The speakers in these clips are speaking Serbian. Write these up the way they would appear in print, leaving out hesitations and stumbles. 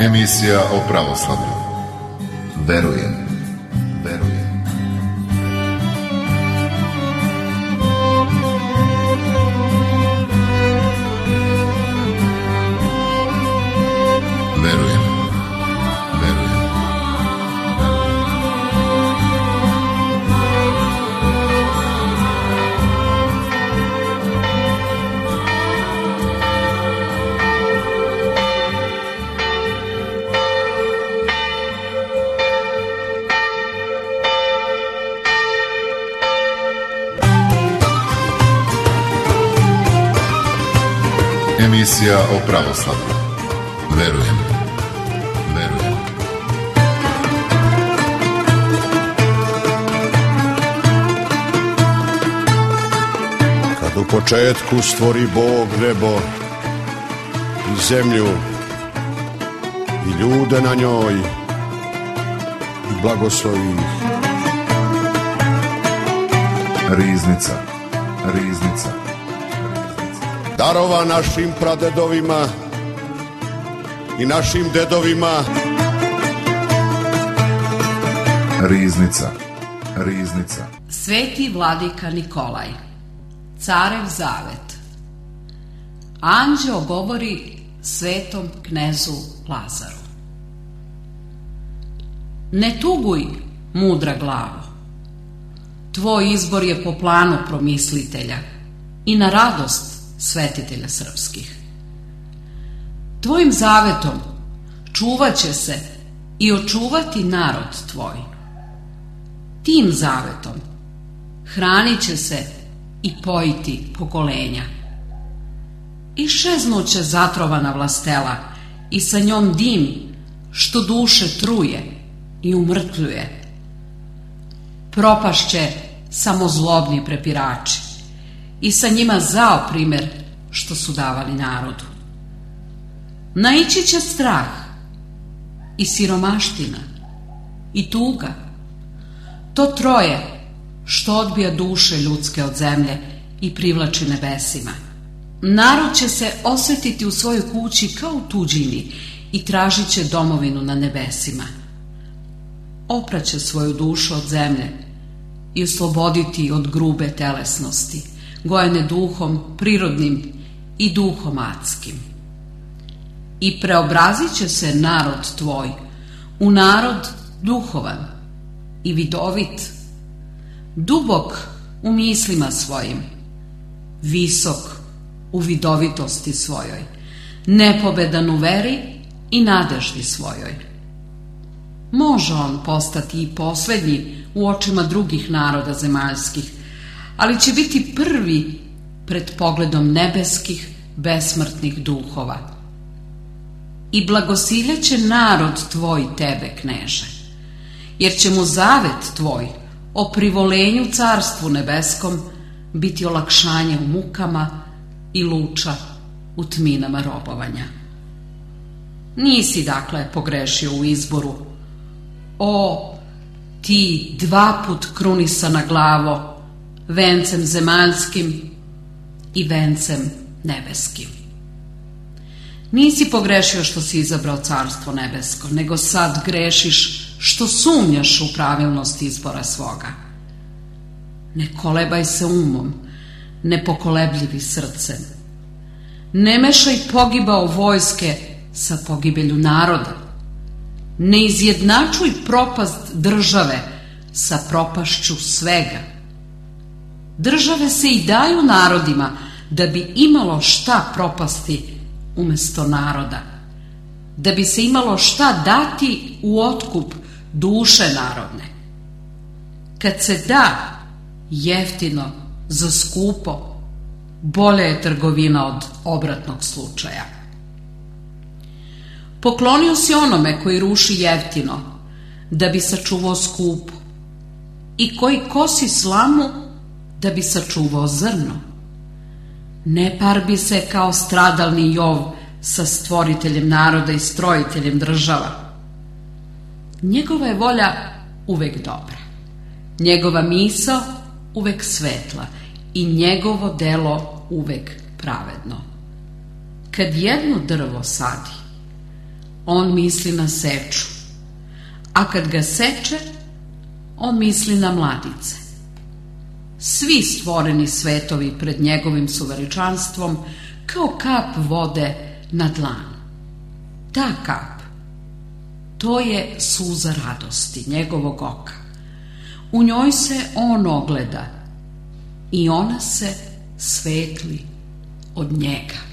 Emisija o pravoslavlju. Verujem. Emisija o pravoslavlju. Verujem. Kad u početku stvori Bog nebo i zemlju i ljude na njoj i blagoslovi ih. Riznica. Darova našim pradedovima i našim dedovima. Riznica. Sveti vladika Nikolaj, carev zavet. Anđeo govori svetom knezu Lazaru. Ne tuguj, mudra glavo. Tvoj izbor je po planu promislitelja i na radost svetitelja srpskih. Tvojim zavetom čuvat će se i očuvati narod tvoj. Tim zavetom hranit će se i pojiti pokolenja. Iščeznuće zatrovana vlastela i sa njom dim što duše truje i umrtvljuje. Propašće samo zlobni prepirači i sa njima zao primer što su davali narodu. Naići će strah i siromaština i tuga. To troje što odbija duše ljudske od zemlje i privlači nebesima. Narod će se osjetiti u svojoj kući kao u tuđini i tražit će domovinu na nebesima. Opraće svoju dušu od zemlje i osloboditi od grube telesnosti, gojene duhom prirodnim i duhom adskim. I preobrazit će se narod tvoj u narod duhovan i vidovit, dubok u mislima svojim, visok u vidovitosti svojoj, nepobedan u veri i nadeždi svojoj. Može on postati i poslednji u očima drugih naroda zemaljskih, ali će biti prvi pred pogledom nebeskih besmrtnih duhova. I blagosiljeće narod tvoj tebe, kneže, jer će mu zavet tvoj o privolenju carstvu nebeskom biti olakšanje u mukama i luča u tminama robovanja. Nisi dakle pogrešio u izboru, o ti dva put krunisana glavo, vencem zemaljskim i vencem nebeskim. Nisi pogrešio što si izabrao carstvo nebesko, nego sad grešiš što sumnjaš u pravilnost izbora svoga. Ne kolebaj se umom, nepokolebljivi srcem. Ne mešaj pogibao vojske sa pogibelju naroda. Ne izjednačuj propast države sa propašću svega. Države se i daju narodima da bi imalo šta propasti umesto naroda, da bi se imalo šta dati u otkup duše narodne. Kad se da jeftino za skupo, bolja je trgovina od obratnog slučaja. Poklonio si onome koji ruši jeftino, da bi sačuvao skupo, i koji kosi slamu, da bi sačuvao zrno. Ne parbi se kao stradalni Jov sa stvoriteljem naroda i strojiteljem država. Njegova je volja uvek dobra, njegova misao uvek svetla i njegovo delo uvek pravedno. Kad jedno drvo sadi, on misli na seču, a kad ga seče, on misli na mladice. Svi stvoreni svetovi pred njegovim su veličanstvom kao kap vode na dlanu. Ta kap, to je suza radosti njegovog oka. U njoj se on ogleda i ona se svetli od njega.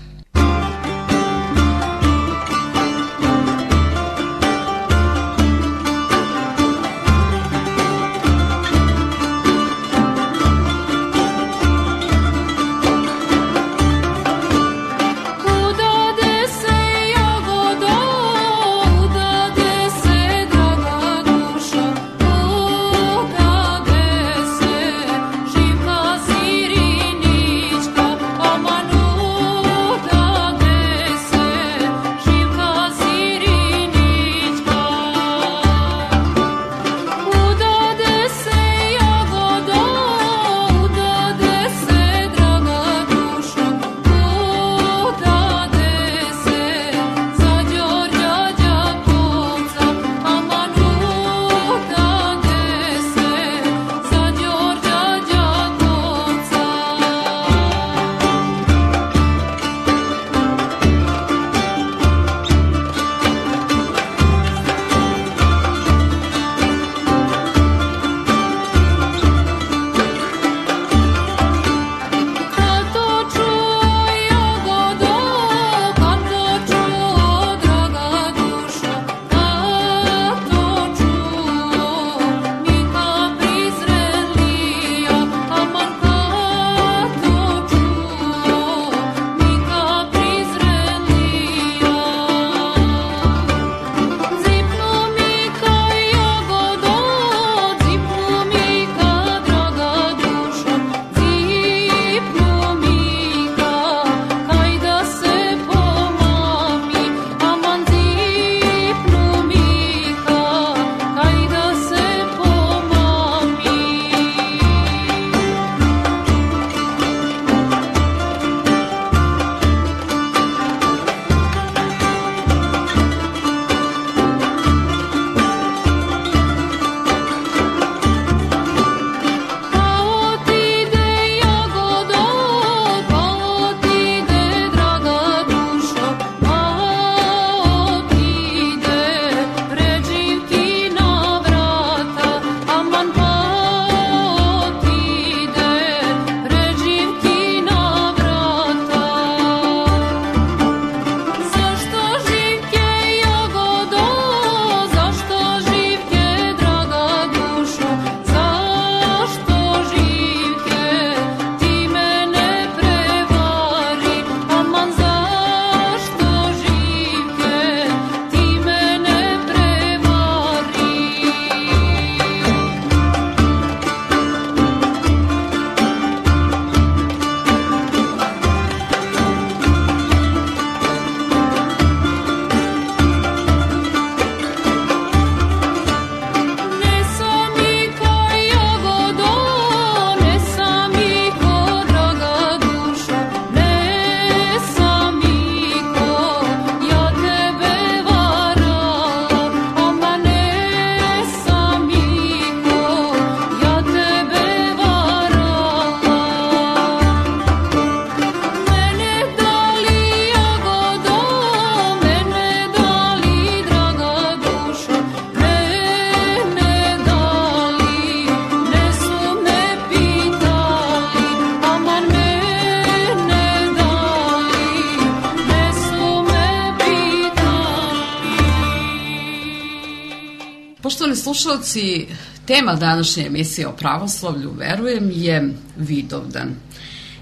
Poštovani slušalci, tema današnje emisije o pravoslavlju, verujem, je Vidovdan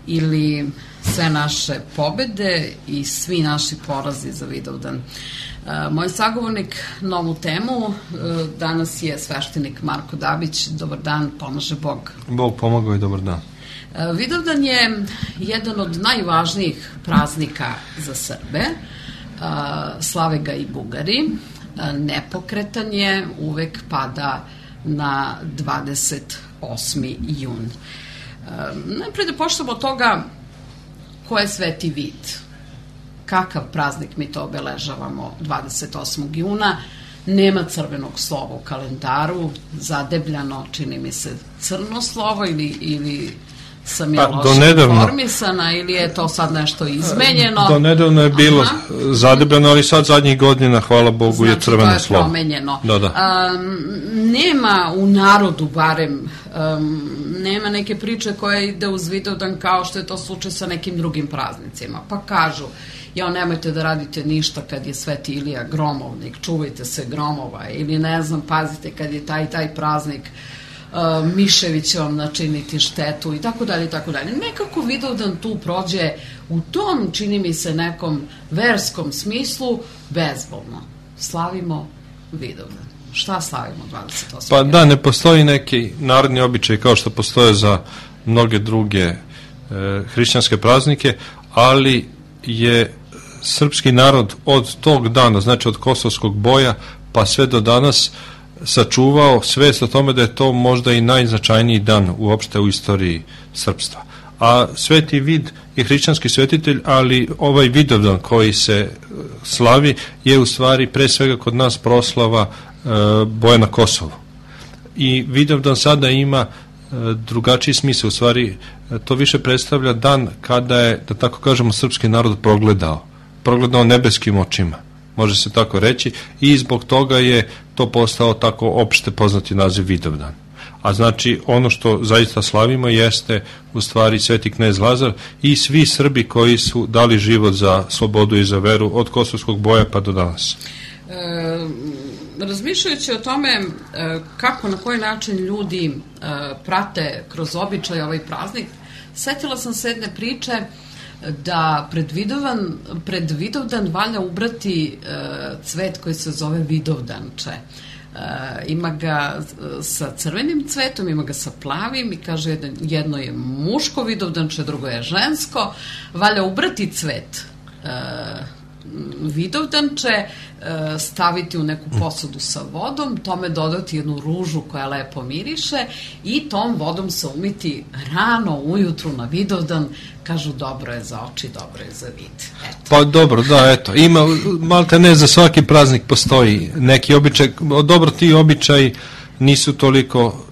ili sve naše pobede i svi naši porazi za Vidovdan. Moj sagovornik na ovu temu danas je sveštenik Marko Dabić. Dobar dan, pomaže Bog. Bog pomagao i dobar dan. Vidovdan je jedan od najvažnijih praznika za Srbe. Slave ga i Bugari. Nepokretan je, uvek pada na 28. jun. Najprej da počnemo od toga ko je Sveti Vid. kakav praznik mi to obeležavamo 28. juna. Nema crvenog slova u kalendaru, zadebljano, čini mi se, crno slovo ili sam ja loše informisana ili je to sad nešto izmenjeno. Do nedavno je bilo zadebljeno, ali sad zadnjih godina, hvala Bogu, je crveno slovo. Znači to je promenjeno. Da. Nema u narodu barem, nema neke priče koja ide uz Vidovdan kao što je to slučaj sa nekim drugim praznicima. Pa kažu, nemojte da radite ništa kad je Sveti Ilija gromovnik, čuvajte se gromova, ili ne znam, pazite kad je taj praznik, miševi će vam načiniti štetu i tako dalje i tako dalje. Nekako Vidovdan tu prođe u tom, čini mi se, nekom verskom smislu bezbolno. Slavimo Vidovdan. Šta slavimo 28. Pa da, ne postoji neki narodni običaj kao što postoje za mnoge druge hrišćanske praznike, ali je srpski narod od tog dana, znači od Kosovskog boja pa sve do danas, sačuvao svest o tome da je to možda i najznačajniji dan uopšte u istoriji srpstva. A Sveti Vid je hrišćanski svetitelj, ali ovaj Vidovdan koji se slavi je u stvari pre svega kod nas proslava boja na Kosovu. I Vidovdan sada ima drugačiji smisao, u stvari to više predstavlja dan kada je, da tako kažemo, srpski narod progledao nebeskim očima, može se tako reći, i zbog toga je to postao tako opšte poznati naziv Vidovdan. A znači ono što zaista slavimo jeste u stvari Sveti knez Lazar i svi Srbi koji su dali život za slobodu i za veru od Kosovskog boja pa do danas. Razmišljajući o tome kako, na koji način ljudi prate kroz običaj ovaj praznik, setila sam se jedne priče da pred Vidovdan valja ubrati cvet koji se zove Vidovdanče. Ima ga sa crvenim cvetom, ima ga sa plavim i kaže jedno je muško Vidovdanče, drugo je žensko. Valja ubrati cvet Vidovdanče, staviti u neku posudu sa vodom, tome dodati jednu ružu koja lepo miriše i tom vodom se umiti rano ujutru na Vidovdan. Kažu, dobro je za oči, dobro je za vid. Eto. Pa dobro, da, eto. Ima, malte ne, za svaki praznik postoji neki običaj. Dobro, ti običaji nisu toliko,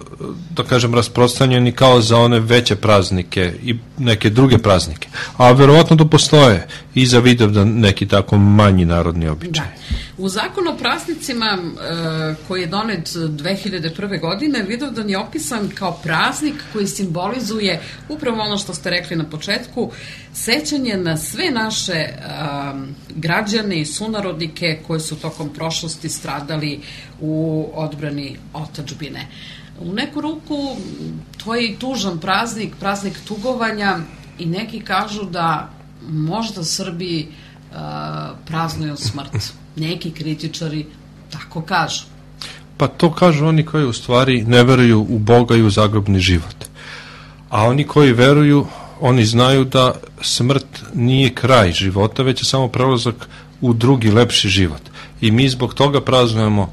da kažem, rasprostranjeni kao za one veće praznike i neke druge praznike. A verovatno to postoje i za Vidovdan neki tako manji narodni običaj. Da. U zakonu o praznicima koji je donet 2001. godine, Vidovdan je opisan kao praznik koji simbolizuje upravo ono što ste rekli na početku, sećanje na sve naše građane i sunarodnike koji su tokom prošlosti stradali u odbrani otadžbine. U neku ruku to je i tužan praznik, praznik tugovanja, i neki kažu da možda Srbi praznuju smrt. Neki kritičari tako kažu. Pa to kažu oni koji u stvari ne veruju u Boga i u zagrobni život. A oni koji veruju, oni znaju da smrt nije kraj života, već je samo prelazak u drugi, lepši život. I mi zbog toga praznujemo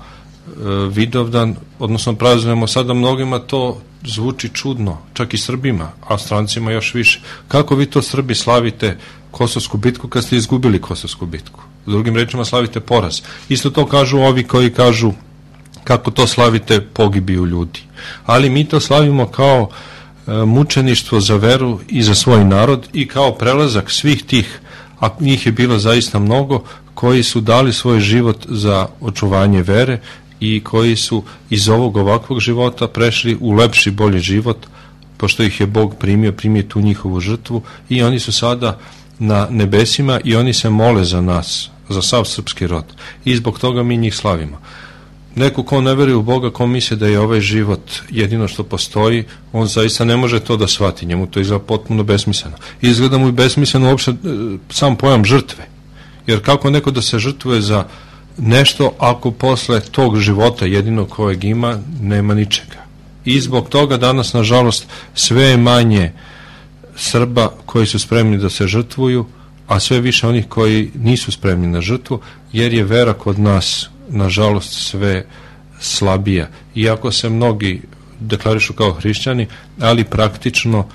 Vidovdan, odnosno praznujemo, sada mnogima to zvuči čudno, čak i Srbima, a strancima još više. Kako vi to, Srbi, slavite Kosovsku bitku kad ste izgubili Kosovsku bitku? S drugim rečima, slavite poraz. Isto to kažu ovi koji kažu kako to slavite pogibiju ljudi. Ali mi to slavimo kao mučeništvo za veru i za svoj narod i kao prelazak svih tih, a njih je bilo zaista mnogo, koji su dali svoj život za očuvanje vere i koji su iz ovog ovakvog života prešli u lepši, bolji život, pošto ih je Bog primio tu njihovu žrtvu, i oni su sada na nebesima i oni se mole za nas, za sav srpski rod, i zbog toga mi njih slavimo. Neko ko ne veruje u Boga, ko misli da je ovaj život jedino što postoji, on zaista ne može to da shvati, njemu to izgleda potpuno besmisleno. Izgleda mu i besmisleno uopšte sam pojam žrtve, jer kako neko da se žrtvuje za nešto ako posle tog života jedino kojeg ima nema ničega. I zbog toga danas, nažalost, sve je manje Srba koji su spremni da se žrtvuju, a sve više onih koji nisu spremni na žrtvu, jer je vera kod nas, nažalost, sve slabija. Iako se mnogi deklarišu kao hrišćani, ali praktično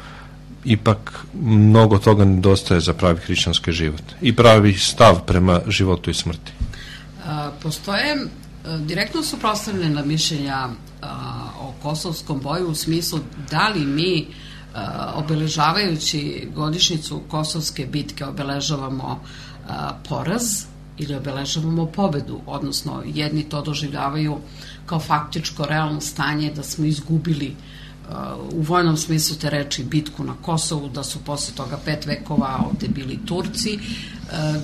ipak mnogo toga nedostaje za pravi hrišćanski život i pravi stav prema životu i smrti. Postoje direktno suprotstavljena mišljenja o kosovskom boju u smislu da li mi obeležavajući godišnjicu Kosovske bitke obeležavamo poraz ili obeležavamo pobedu, odnosno jedni to doživljavaju kao faktičko realno stanje da smo izgubili u vojnom smislu te reči bitku na Kosovu, da su posle toga 5 vekova ovde bili Turci,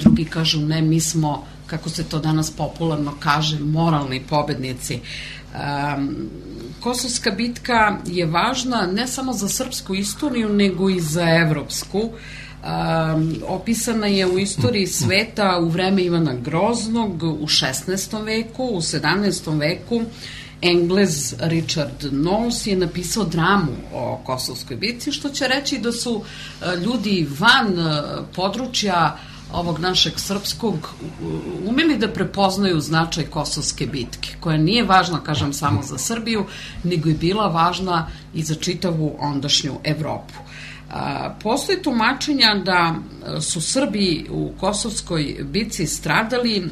drugi kažu ne, mi smo, kako se to danas popularno kaže, moralni pobednici. Kosovska bitka je važna ne samo za srpsku istoriju, nego i za evropsku. Opisana je u istoriji sveta u vreme Ivana Groznog u 16. veku, u 17. veku Englez Richard Knowles je napisao dramu o Kosovskoj bitci, što će reći da su ljudi van područja ovog našeg srpskog umeli da prepoznaju značaj Kosovske bitke, koja nije važna, kažem, samo za Srbiju, nego je bila važna i za čitavu ondašnju Evropu. Postoje tumačenja da su Srbi u Kosovskoj bitci stradali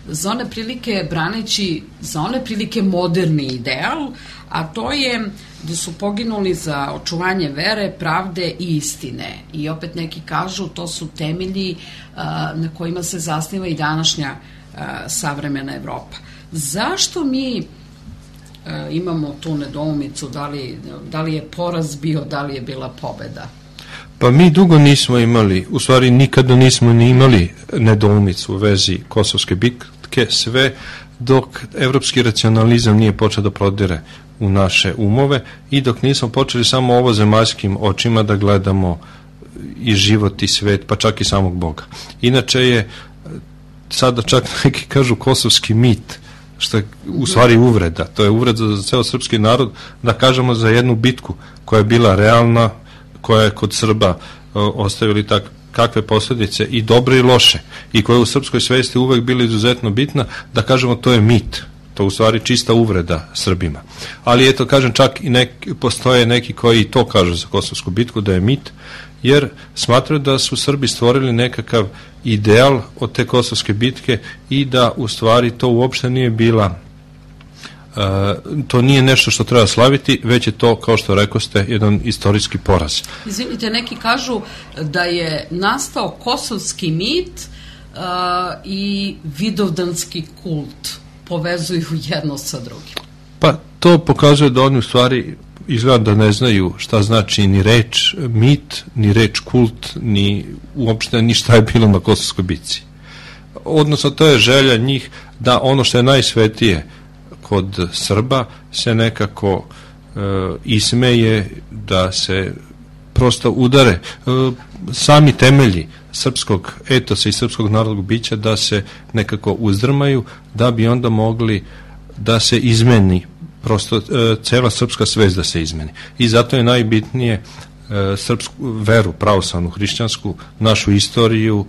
za one prilike braneći za one prilike moderni ideal, a to je da su poginuli za očuvanje vere, pravde i istine. I opet neki kažu to su temelji na kojima se zasniva i današnja savremena Evropa. Zašto mi imamo tu nedoumicu, da li je poraz bio, da li je bila pobeda? Pa mi dugo nismo imali, u stvari nikada nismo ni imali nedoumicu u vezi Kosovske bitke, sve dok evropski racionalizam nije počeo da prodire u naše umove i dok nismo počeli samo ovozemaljskim očima da gledamo i život i svet, pa čak i samog Boga. Inače je, sada čak neki kažu kosovski mit, što je u stvari uvreda. To je uvreda za ceo srpski narod, da kažemo za jednu bitku koja je bila realna, koja je kod Srba ostavili kakve posljedice i dobre i loše, i koja je u srpskoj svesti uvek bila izuzetno bitna, da kažemo to je mit. To je u stvari čista uvreda Srbima. Ali eto, kažem, čak i postoje neki koji to kažu za Kosovsku bitku da je mit, jer smatraju da su Srbi stvorili nekakav ideal od te Kosovske bitke i da u stvari to uopšte nije bila to nije nešto što treba slaviti, već je to, kao što rekoste, jedan istorijski poraz. Izvinite, neki kažu da je nastao kosovski mit i vidovdanski kult, povezuju jedno sa drugim. Pa to pokazuje da oni u stvari izgleda da ne znaju šta znači ni reč mit, ni reč kult, ni uopšte ni šta je bilo na Kosovskoj bitci. Odnosno, to je želja njih da ono što je najsvetije kod Srba se nekako ismeje, da se prosto udare sami temelji srpskog etosa i srpskog narodnog bića, da se nekako uzdrmaju, da bi onda mogli da se izmeni prosto cela srpska svest, da se izmeni. I zato je najbitnije srpsku veru, pravoslavnu, hrišćansku, našu istoriju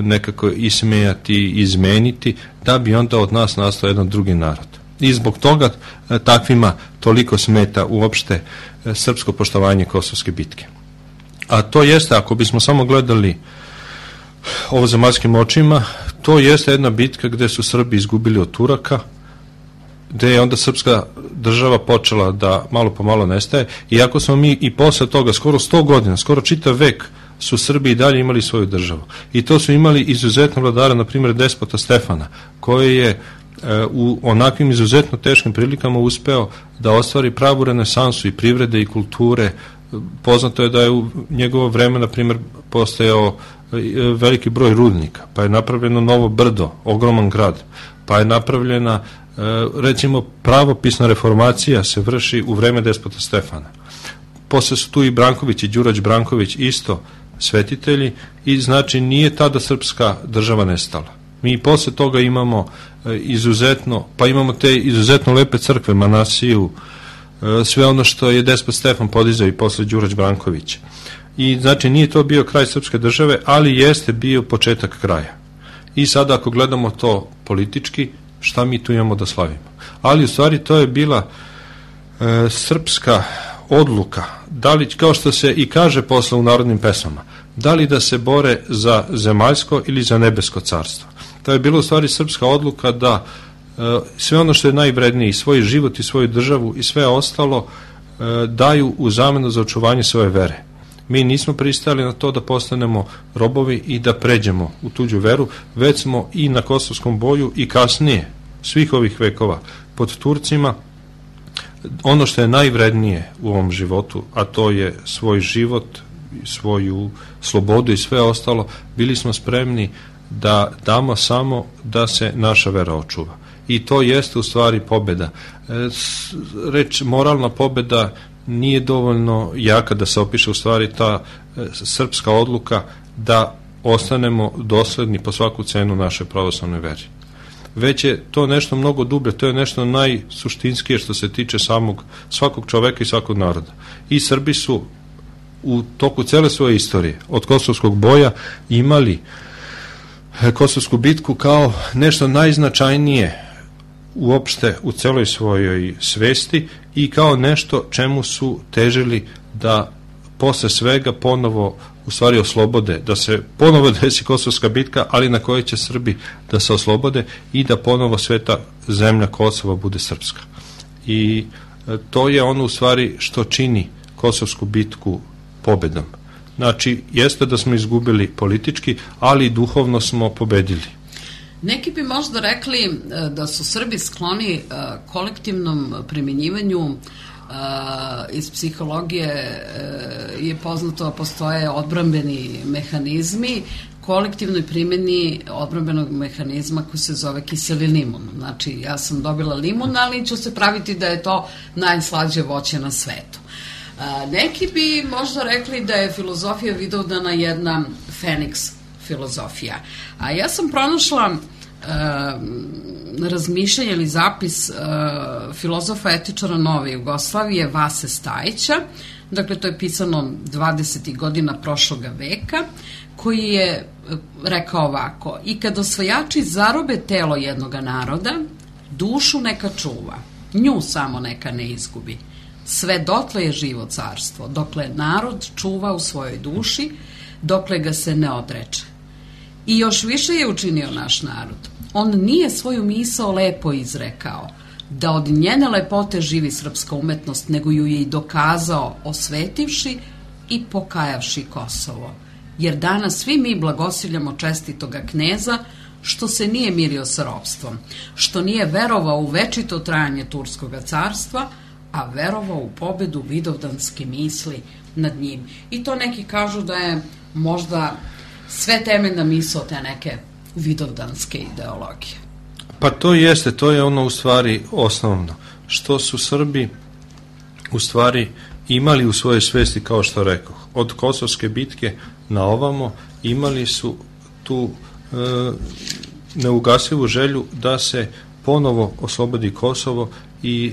nekako ismejati, izmeniti, da bi onda od nas nastao jedan drugi narod. I zbog toga takvima toliko smeta uopšte srpsko poštovanje Kosovske bitke. A to jeste, ako bismo samo gledali ovozemaljskim očima, to jeste jedna bitka gde su Srbi izgubili od Turaka, gde je onda srpska država počela da malo po malo nestaje, iako smo mi i posle toga skoro 100 godina, skoro čitav vek su Srbi i dalje imali svoju državu. I to su imali izuzetno vladara, na primjer despota Stefana, koji je u onakvim izuzetno teškim prilikama uspeo da ostvari pravu renesansu i privrede i kulture. Poznato je da je u njegovo vreme, na primjer, postojao veliki broj rudnika, pa je napravljeno novo brdo, ogroman grad, pa je napravljena, recimo, pravopisna reformacija se vrši u vreme despota Stefana. Posle su tu i Branković i Đurađ Branković isto svetitelji, i znači nije tada srpska država nestala. Mi i posle toga imamo izuzetno, pa imamo te izuzetno lepe crkve, Manasiju, sve ono što je despot Stefan podizao i posle Đurađ Branković. I znači nije to bio kraj srpske države, ali jeste bio početak kraja. I sada ako gledamo to politički, šta mi tu imamo da slavimo? Ali u stvari to je bila srpska odluka, da li, kao što se i kaže posle u narodnim pesmama, da li da se bore za zemaljsko ili za nebesko carstvo. To je bila u stvari srpska odluka da sve ono što je najvrednije, i svoj život i svoju državu i sve ostalo, daju u zamenu za očuvanje svoje vere. Mi nismo pristali na to da postanemo robovi i da pređemo u tuđu veru, već smo i na Kosovskom boju i kasnije svih ovih vekova pod Turcima ono što je najvrednije u ovom životu, a to je svoj život, svoju slobodu i sve ostalo, bili smo spremni da damo samo da se naša vera očuva. I to jeste u stvari pobeda. Reč moralna pobeda nije dovoljno jaka da se opiše u stvari ta srpska odluka da ostanemo dosledni po svaku cenu našoj pravoslavnoj veri. Već je to nešto mnogo dublje, to je nešto najsuštinskije što se tiče svakog čoveka i svakog naroda. I Srbi su u toku cele svoje istorije, od Kosovskog boja, imali Kosovsku bitku kao nešto najznačajnije uopšte u celoj svojoj svesti i kao nešto čemu su težili da posle svega ponovo u stvari oslobode, da se ponovo desi Kosovska bitka, ali na kojoj će Srbi da se oslobode i da ponovo sveta zemlja Kosova bude srpska. I to je ono u stvari što čini Kosovsku bitku pobedom. Znači, jeste da smo izgubili politički, ali duhovno smo pobedili. Neki bi možda rekli da su Srbi skloni kolektivnom primjenjivanju. Iz psihologije je poznato da postoje odbrambeni mehanizmi, kolektivnoj primjeni odbrambenog mehanizma koji se zove kiseli limun. Znači, ja sam dobila limun, ali ću se praviti da je to najslađe voće na svetu. Neki bi možda rekli da je filozofija Vidovdana jedna Feniks filozofija. A ja sam pronašla razmišljanje ili zapis filozofa etičara Nove Jugoslavije Vase Stajića, dakle to je pisano 20. godina prošloga veka, koji je rekao ovako: i kad osvajači zarobe telo jednoga naroda, dušu neka čuva, nju samo neka ne izgubi. Sve dotle je živo carstvo, dokle narod čuva u svojoj duši, dokle ga se ne odreče. I još više je učinio naš narod. On nije svoju misao lepo izrekao, da od njene lepote živi srpska umetnost, nego ju je i dokazao osvetivši i pokajavši Kosovo. Jer danas svi mi blagosiljamo čestitoga kneza, što se nije mirio sa ropstvom, što nije verovao u večito trajanje Turskoga carstva, a verovao u pobedu vidovdanske misli nad njim. I to neki kažu da je možda sve temeljna misao te neke vidovdanske ideologije. Pa to jeste, to je ono u stvari osnovno. Što su Srbi u stvari imali u svojoj svesti, kao što rekoh, od Kosovske bitke na ovamo, imali su tu neugasivu želju da se ponovo oslobodi Kosovo i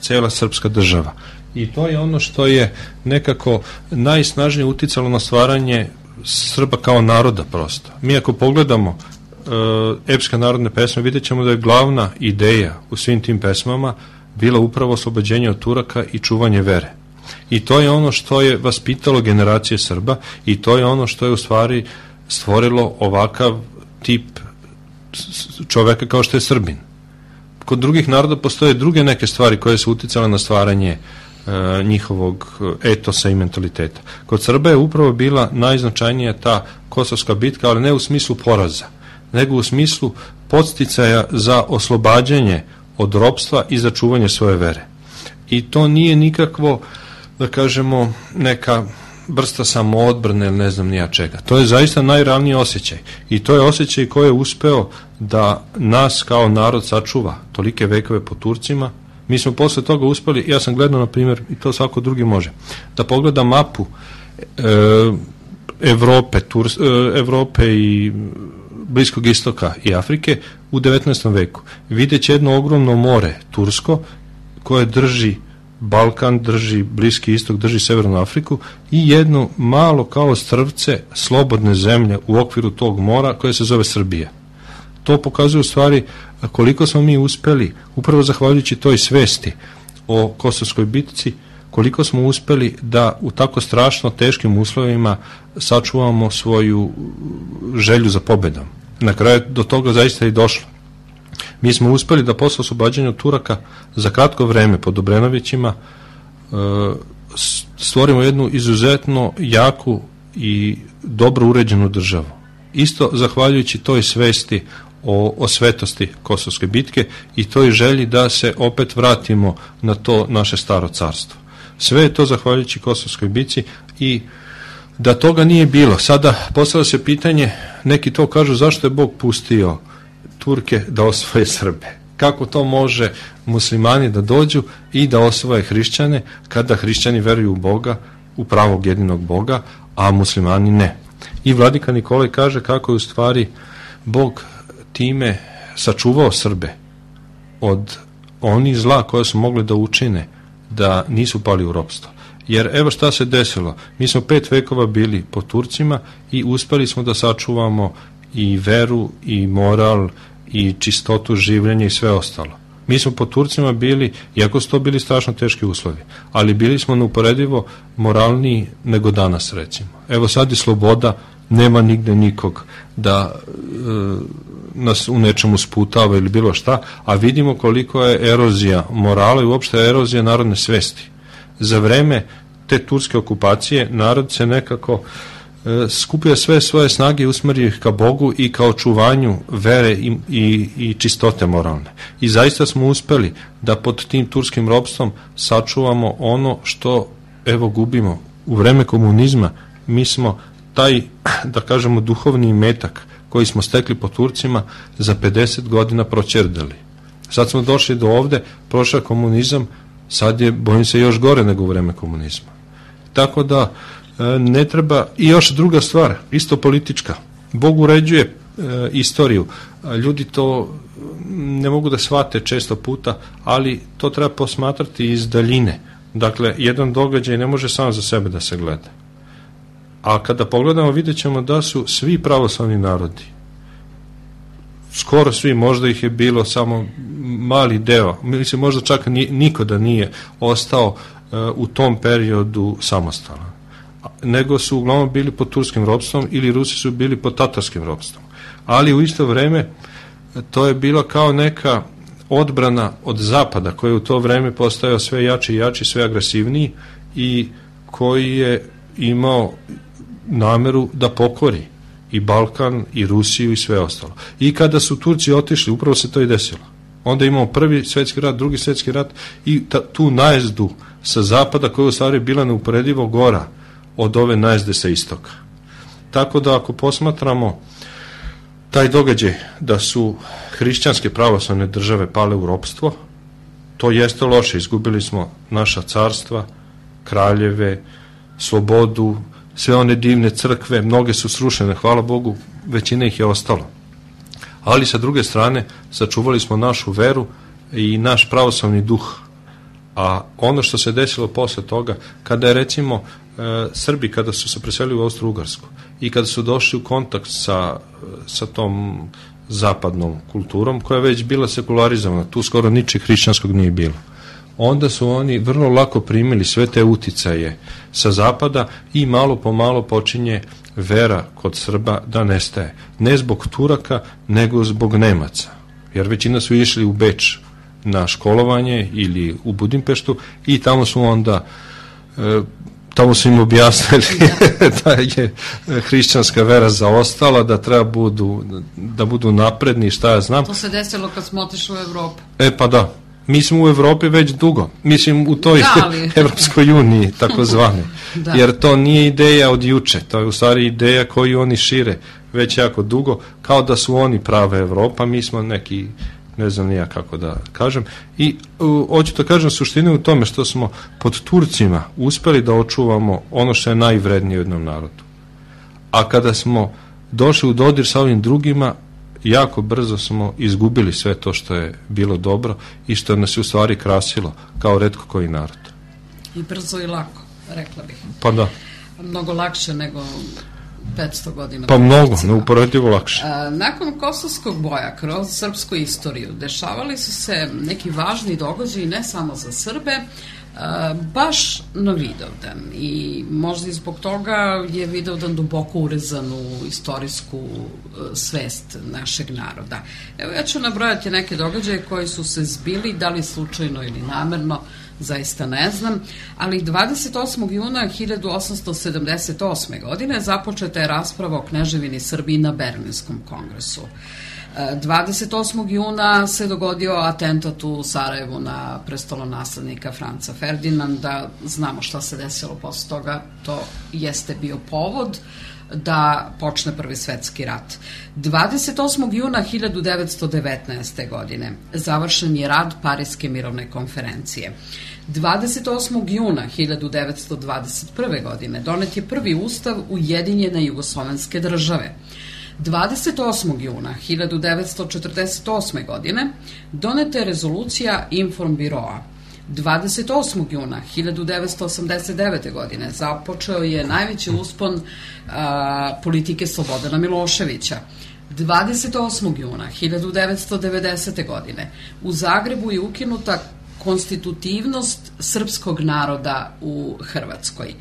cela srpska država. I to je ono što je nekako najsnažnije uticalo na stvaranje Srba kao naroda prosto. Mi ako pogledamo epske narodne pesme, vidjet ćemo da je glavna ideja u svim tim pesmama bila upravo oslobođenje od Turaka i čuvanje vere. I to je ono što je vaspitalo generacije Srba i to je ono što je u stvari stvorilo ovakav tip čoveka kao što je Srbin. Kod drugih naroda postoje druge neke stvari koje su uticale na stvaranje njihovog etosa i mentaliteta. Kod Srba je upravo bila najznačajnija ta Kosovska bitka, ali ne u smislu poraza, nego u smislu podsticaja za oslobađanje od ropstva i za čuvanje svoje vere. I to nije nikakvo, da kažemo, neka vrsta samoodbrane ili ne znam nija čega. To je zaista najravniji osjećaj. I to je osjećaj koji je uspeo da nas kao narod sačuva tolike vekove po Turcima. Mi smo posle toga uspeli, ja sam gledao, na primjer, i to svako drugi može, da pogleda mapu Evrope i Bliskog istoka i Afrike u 19. veku. Videće jedno ogromno more tursko koje drži Balkan, drži Bliski istok, drži Severnu Afriku i jedno malo kao strvce slobodne zemlje u okviru tog mora koje se zove Srbija. To pokazuje u stvari koliko smo mi uspeli, upravo zahvaljujući toj svesti o Kosovskoj bitci, koliko smo uspeli da u tako strašno teškim uslovima sačuvamo svoju želju za pobedom. Na kraju do toga zaista i došlo. Mi smo uspeli da posle oslobađanja Turaka za kratko vreme pod Obrenovićima stvorimo jednu izuzetno jaku i dobro uređenu državu. Isto zahvaljujući toj svesti o svetosti Kosovske bitke i toj želji da se opet vratimo na to naše staro carstvo. Sve je to zahvaljujući Kosovskoj bitci i da toga nije bilo. Sada postavlja se pitanje, neki to kažu, zašto je Bog pustio Turke da osvoje Srbe? Kako to može muslimani da dođu i da osvoje hrišćane kada hrišćani veruju u Boga, u pravog jedinog Boga, a muslimani ne? I vladika Nikolaj kaže kako je u stvari Bog time sačuvao Srbe od onih zla koje su mogli da učine, da nisu pali u ropstvo. Jer evo šta se desilo, mi smo 5 vekova bili pod Turcima i uspeli smo da sačuvamo i veru i moral i čistotu življenja i sve ostalo. Mi smo pod Turcima bili, iako su to bili strašno teški uslovi, ali bili smo neuporedivo moralniji nego danas, recimo. Evo sad je sloboda, nema nigde nikog da nas u nečemu sputava ili bilo šta, a vidimo koliko je erozija morala i uopšte erozija narodne svesti. Za vreme te turske okupacije narod se nekako skupio sve svoje snage i usmerio ih ka Bogu i ka očuvanju vere i čistote moralne. I zaista smo uspeli da pod tim turskim ropstvom sačuvamo ono što evo gubimo. U vreme komunizma mi smo taj, da kažemo, duhovni imetak koji smo stekli po Turcima za 50 godina proćerdali. Sad smo došli do ovde, prošao komunizam, sad je, bojim se, još gore nego u vreme komunizma. Tako da ne treba, i još druga stvar, isto politička. Bog uređuje istoriju. Ljudi to ne mogu da shvate često puta, ali to treba posmatrati iz daljine. Dakle, jedan događaj ne može samo za sebe da se gleda. A kada pogledamo, vidjet ćemo da su svi pravoslavni narodi, skoro svi, možda ih je bilo samo mali deo, mislim možda čak niko da nije ostao u tom periodu samostalan, nego su uglavnom bili pod turskim ropstvom ili Rusi su bili pod tatarskim ropstvom. Ali u isto vreme to je bilo kao neka odbrana od zapada koji je u to vreme postajao sve jači i jači, sve agresivniji i koji je imao nameru da pokori i Balkan i Rusiju i sve ostalo. I kada su Turci otišli, upravo se to i desilo. Onda imamo prvi svjetski rat, drugi svjetski rat i tu najezdu sa zapada koja je u stvari bila neuporedivo gora od ove najezde sa istoka. Tako da ako posmatramo taj događaj da su hrišćanske pravoslavne države pale u ropstvo, to jeste loše. Izgubili smo naša carstva, kraljeve, slobodu, sve one divne crkve, mnoge su srušene, hvala Bogu, većina ih je ostalo. Ali sa druge strane sačuvali smo našu veru i naš pravoslavni duh. A ono što se desilo posle toga, kada je recimo Srbi, kada su se preselili u Austro-Ugarsku i kada su došli u kontakt sa tom zapadnom kulturom, koja je već bila sekularizovana, tu skoro ničeg hrišćanskog nije bilo, onda su oni vrlo lako primili sve te uticaje sa zapada i malo po malo počinje vera kod Srba da nestaje. Ne zbog Turaka, nego zbog Nemaca. Jer većina su išli u Beč na školovanje ili u Budimpeštu i tamo su onda tamo su im objasnili da je hrišćanska vera zaostala, da treba da budu napredni, šta ja znam. To se desilo kad smo otišli u Evropu. Pa da. Mi smo u Evropi već dugo. Mislim u toj Evropskoj uniji, takozvane. Jer to nije ideja od juče. To je u stvari ideja koju oni šire već jako dugo, kao da su oni prava Evropa, mi smo neki, ne znam nija kako da kažem. I hoću da kažem, suština u tome što smo pod Turcima uspeli da očuvamo ono što je najvrednije u jednom narodu. A kada smo došli u dodir sa ovim drugima, jako brzo smo izgubili sve to što je bilo dobro i što nas je u stvari krasilo kao retko koji narod. I brzo i lako, rekla bih. Pa da. Mnogo lakše nego 500 godina. Pa mnogo, neuporedivo lakše. Nakon Kosovskog boja kroz srpsku istoriju dešavali su se neki važni događaji ne samo za Srbe, baš na Vidovdan i možda i zbog toga je Vidovdan duboko urezan u istorijsku svest našeg naroda. Evo ja ću nabrojati neke događaje koji su se zbili, da li slučajno ili namerno, zaista ne znam, ali 28. juna 1878. godine započeta je rasprava o kneževini Srbiji na Berlinskom kongresu. 28. juna se dogodio atentat u Sarajevu na prestolonaslednika Franca Ferdinanda. Znamo šta se desilo posle toga, to jeste bio povod da počne Prvi svetski rat. 28. juna 1919. godine završen je rad Pariske mirovne konferencije. 28. juna 1921. godine donet je prvi ustav Ujedinjene jugoslovenske države. 28. juna 1948. godine doneta je rezolucija Informbiroa. 28. juna 1989. godine započeo je najveći uspon politike Slobodana Miloševića. 28. juna 1990. godine u Zagrebu je ukinuta konstitutivnost srpskog naroda u Hrvatskoj.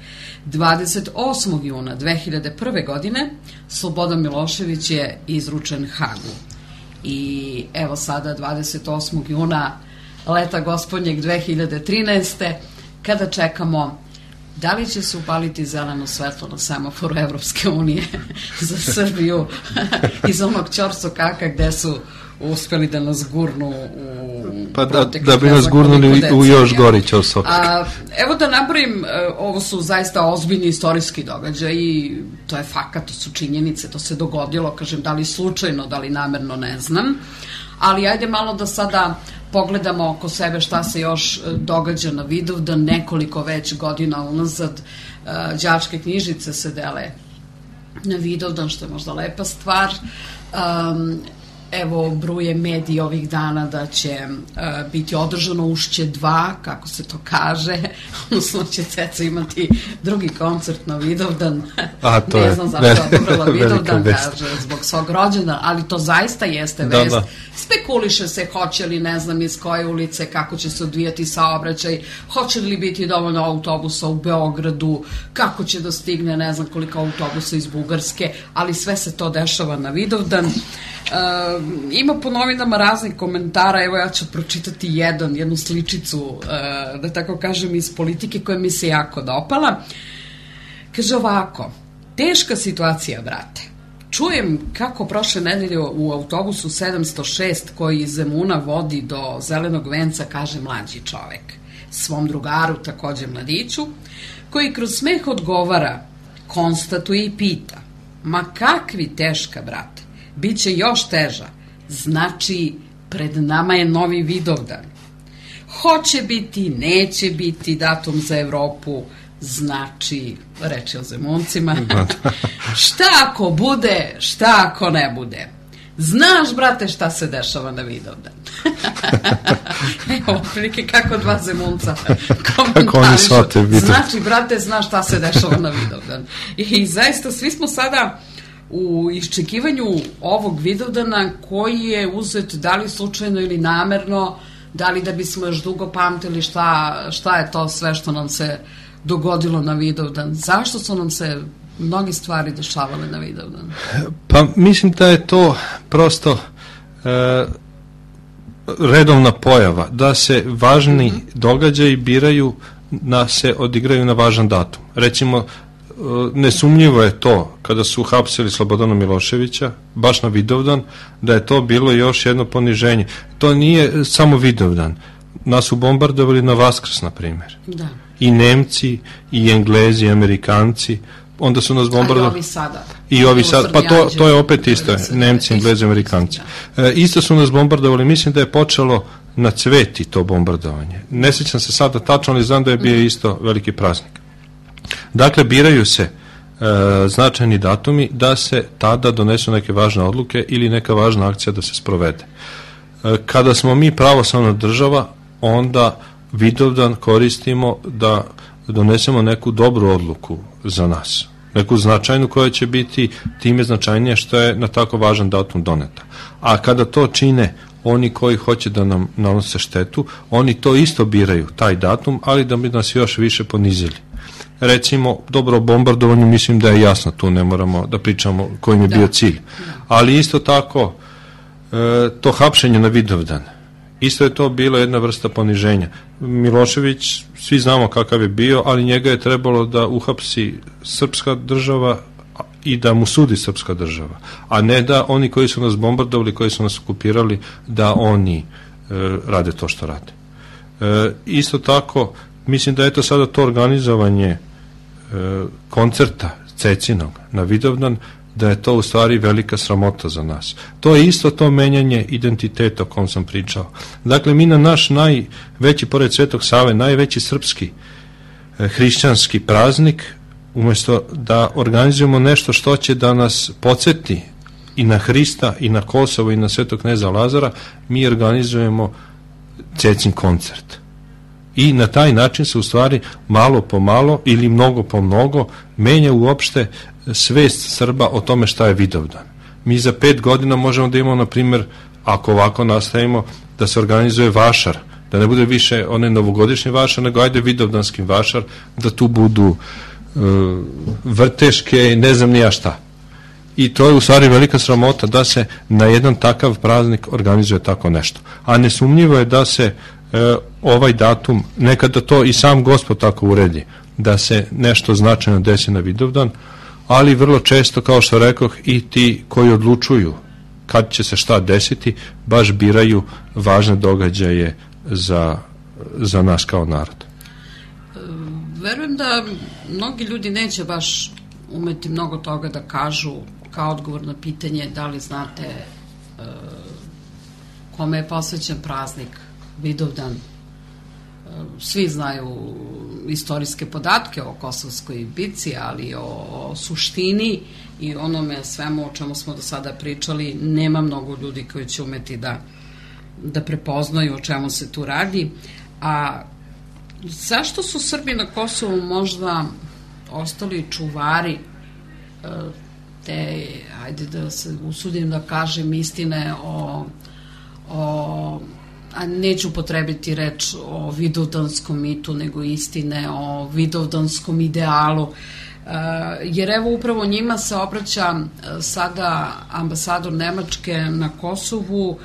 28. juna 2001. godine Slobodan Milošević je izručen Hagu. I evo sada 28. juna leta gospodnjeg 2013. kada čekamo da li će se upaliti zeleno svetlo na semaforu Evropske unije za Srbiju iz onog ćorsokaka gde su uspeli da nas gurnu u da bi nas gurnuli u još gori ćorsokak. Evo da nabrojim, ovo su zaista ozbiljni istorijski događaji, to je fakat, to su činjenice, to se dogodilo, kažem, da li slučajno, da li namerno, ne znam, ali ajde malo da sada pogledamo oko sebe šta se još događa na Vidovdan. Nekoliko već godina unazad đačke knjižice se dele na Vidovdan, što je možda lepa stvar. Evo, bruje mediji ovih dana da će biti održano Ušće 2, kako se to kaže, odnosno će Ceca imati drugi koncert na Vidovdan. Ne znam zašto je odobrala Vidovdan, kaže, zbog svog rođena, ali to zaista jeste vest. Da. Spekuliše se hoće li, ne znam iz koje ulice, kako će se odvijati saobraćaj, hoće li biti dovoljno autobusa u Beogradu, kako će da stigne, ne znam koliko autobusa iz Bugarske, ali sve se to dešava na Vidovdan. Ima po novinama raznih komentara, evo ja ću pročitati jednu sličicu, da tako kažem, iz politike koja mi se jako dopala. Kaže ovako: teška situacija, brate. Čujem kako prošle nedelje u autobusu 706 koji iz Zemuna vodi do Zelenog venca, kaže mlađi čovek svom drugaru, takođe mladiću, koji kroz smeh odgovara, konstatuje i pita: ma kakvi teška, brate, biće još teža, znači pred nama je novi Vidovdan. Hoće biti, neće biti datum za Evropu, znači, reči o Zemuncima, šta ako bude, šta ako ne bude. Znaš, brate, šta se dešava na Vidovdan. Evo, prilike kako dva Zemunca komentarišu. Znači, brate, znaš šta se dešava na Vidovdan. I zaista, svi smo sada u iščekivanju ovog Vidovdana koji je uzet da li slučajno ili namerno, da li da bismo još dugo pamtili šta je to sve što nam se dogodilo na Vidovdan. Zašto su nam se mnogi stvari dešavale na Vidovdan? Pa mislim da je to prosto redovna pojava, da se važni događaji biraju, se odigraju na važan datum. Recimo, nesumnjivo je to, kada su hapsili Slobodana Miloševića, baš na Vidovdan, da je to bilo još jedno poniženje. To nije samo Vidovdan. Nas su bombardovali na Vaskrs, na primjer. Da. I Nemci, i Englezi, i Amerikanci. Onda su nas bombardovali. I ovi sada. Pa to je opet isto. Nemci, Englezi, Amerikanci. Isto su nas bombardovali. Mislim da je počelo na Cveti to bombardovanje. Ne sjećam se sada tačno, ali znam da je bio isto veliki praznik. Dakle, biraju se značajni datumi da se tada donesu neke važne odluke ili neka važna akcija da se sprovede. Kada smo mi pravoslavna država, onda Vidovdan koristimo da donesemo neku dobru odluku za nas. Neku značajnu koja će biti time značajnije što je na tako važan datum doneta. A kada to čine oni koji hoće da nam nanose štetu, oni to isto biraju, taj datum, ali da bi nas još više ponizili. Recimo, dobro, bombardovanje, mislim da je jasno, tu ne moramo da pričamo kojim je bio cilj. Ali isto tako, to hapšenje na Vidovdan, isto je to bilo jedna vrsta poniženja. Milošević, svi znamo kakav je bio, ali njega je trebalo da uhapsi srpska država i da mu sudi srpska država, a ne da oni koji su nas bombardovali, koji su nas okupirali, da oni rade to što rade. Isto tako, mislim da je to sada to organizovanje koncerta Cecinog na Vidovdan, da je to u stvari velika sramota za nas. To je isto to menjanje identiteta o kom sam pričao. Dakle, mi na naš najveći, pored Svetog Save, najveći srpski hrišćanski praznik, umjesto da organizujemo nešto što će da nas podsjeti i na Hrista, i na Kosovo, i na Svetog kneza Lazara, mi organizujemo Cecin koncert. I na taj način se u stvari malo po malo ili mnogo po mnogo menja uopšte svest Srba o tome šta je Vidovdan. Mi za 5 godina možemo da imamo, na primjer, ako ovako nastavimo, da se organizuje vašar, da ne bude više one novogodišnje vašar, nego ajde vidovdanski vašar, da tu budu vrteške, ne znam nija šta. I to je u stvari velika sramota da se na jedan takav praznik organizuje tako nešto. A nesumnjivo je da se ovaj datum, nekada to i sam Gospod tako uredi, da se nešto značajno desi na Vidovdan, ali vrlo često, kao što rekoh, i ti koji odlučuju kad će se šta desiti, baš biraju važne događaje za nas kao narod. Verujem da mnogi ljudi neće baš umeti mnogo toga da kažu kao odgovor na pitanje da li znate kome je posvećen praznik Vidovdan. Svi znaju istorijske podatke o Kosovskoj bici, ali o suštini i onome svemu o čemu smo do sada pričali nema mnogo ljudi koji će umeti da prepoznaju o čemu se tu radi. A zašto su Srbi na Kosovu možda ostali čuvari te, ajde da se usudim da kažem, istine a neću potrebiti reč o vidovdanskom mitu, nego istine o vidovdanskom idealu, jer evo upravo njima se obraća sada ambasador Nemačke na Kosovu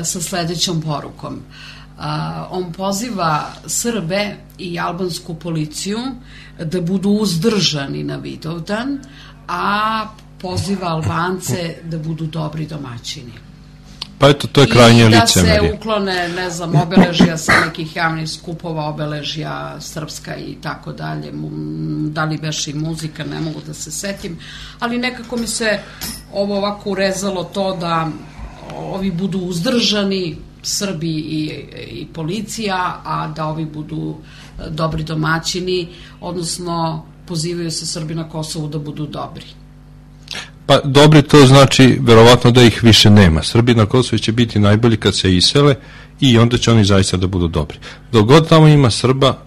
sa sledećom porukom. On poziva Srbe i albansku policiju da budu uzdržani na Vidovdan, a poziva Albance da budu dobri domaćini. Pa eto, to je krajnje licemerje. I da se uklone, ne znam, obeležja sa nekih javnih skupova, obeležja srpska i tako dalje. Da li beše i muzika, ne mogu da se setim. Ali nekako mi se ovo ovako urezalo to da ovi budu uzdržani, Srbi i policija, a da ovi budu dobri domaćini, odnosno pozivaju se Srbi na Kosovu da budu dobri. Pa dobri, to znači verovatno da ih više nema. Srbi na Kosovu će biti najbolji kad se isele i onda će oni zaista da budu dobri. Dok god tamo ima Srba,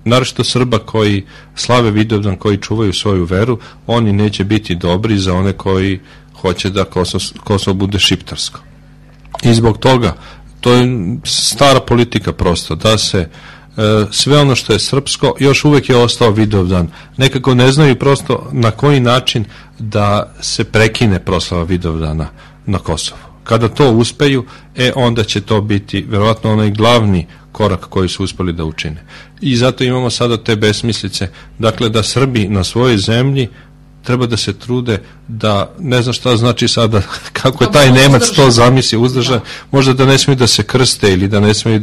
naročito Srba koji slave Vidovdan, koji čuvaju svoju veru, oni neće biti dobri za one koji hoće da Kosovo bude šiptarsko. I zbog toga, to je stara politika prosto, da se sve ono što je srpsko, još uvek je ostao Vidovdan. Nekako ne znaju prosto na koji način da se prekine proslava Vidovdana na Kosovu. Kada to uspeju, onda će to biti verovatno onaj glavni korak koji su uspeli da učine. I zato imamo sada te besmislice, dakle da Srbi na svojoj zemlji treba da se trude da, ne znam šta znači sada, kako je taj Nemac to zamisli, uzdržan, možda da ne smiju da se krste ili da ne smiju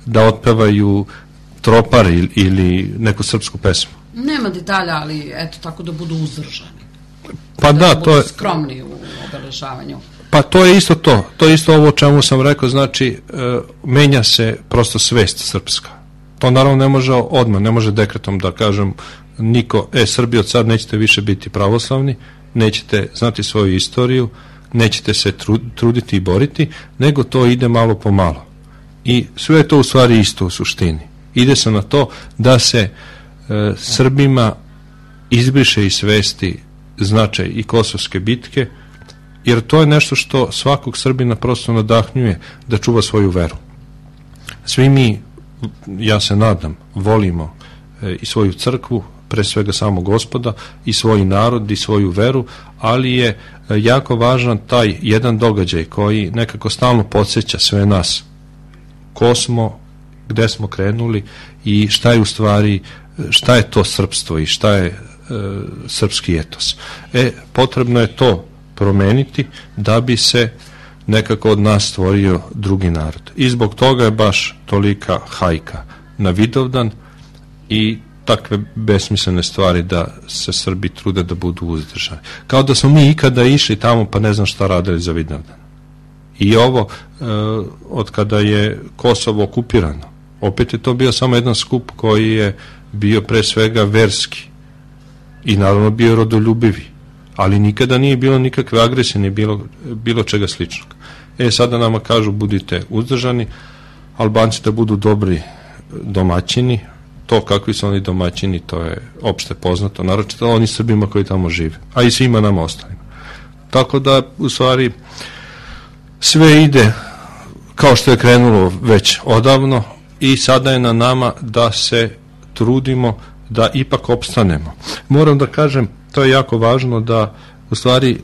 da otpevaju tropar ili neku srpsku pesmu. Nema detalja, ali eto tako da budu uzdržani. Pa da, to je skromni u obeležavanju. Pa to je isto to. To je isto ovo o čemu sam rekao, znači menja se prosto svest srpska. To naravno ne može odmah, ne može dekretom da kažem niko, Srbi od sad nećete više biti pravoslavni, nećete znati svoju istoriju, nećete se truditi i boriti, nego to ide malo po malo. I sve je to u stvari isto u suštini. Ide se na to da se Srbima izbriše iz svesti značaj i Kosovske bitke, jer to je nešto što svakog Srbina prosto nadahnjuje da čuva svoju veru. Svi mi, ja se nadam, volimo i svoju crkvu, pre svega samo Gospoda, i svoj narod i svoju veru, ali je jako važan taj jedan događaj koji nekako stalno podsjeća sve nas ko smo, gde smo krenuli i šta je u stvari, šta je to srpstvo i šta je srpski etos. Potrebno je to promeniti da bi se nekako od nas stvorio drugi narod. I zbog toga je baš tolika hajka na Vidovdan i takve besmislene stvari da se Srbi trude da budu uzdržani. Kao da smo mi ikada išli tamo pa ne znam šta radili za Vidovdan. I ovo, od kada je Kosovo okupirano, opet je to bio samo jedan skup koji je bio pre svega verski i naravno bio rodoljubivi, ali nikada nije bilo nikakve agresije, ni bilo čega sličnog. Sada nama kažu budite uzdržani, Albanci da budu dobri domaćini, to kakvi su oni domaćini, to je opšte poznato, naročito oni Srbima koji tamo žive, a i svima nama ostalima. Tako da, u stvari, sve ide kao što je krenulo već odavno i sada je na nama da se trudimo da ipak opstanemo. Moram da kažem, to je jako važno, da u stvari